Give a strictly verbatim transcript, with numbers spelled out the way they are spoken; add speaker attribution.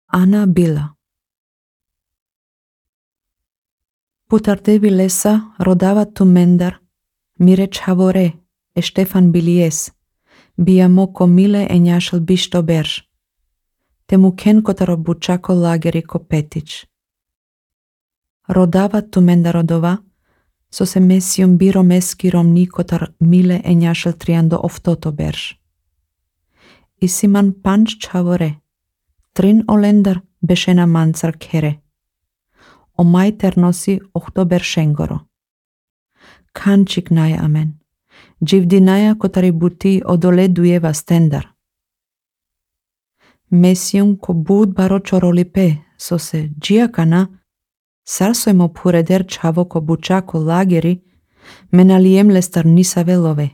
Speaker 1: Ana Bila. Putardevi lesa rodava tumendar, mire chavore, e Ștefan Bilies, biamo comile e njașel bišto berž. Te muken kotaro bučako lageri kopetić. Rodava tumenda rodova, so se mesium biro meskirom ni kotar mile e njașel triando oftoto berž. Isiman panč chavore, trin olendar bešena mancar kere. O mai ternosi oktober šengoro. Kančik naja amen. Dživdinaja kotari buti odole dujeva stendar. Mesium ko bud baro čorolipe, so se džiakana, sarsojmo pureder čavo ko bučako lageri, menaliem lestar nisa velove.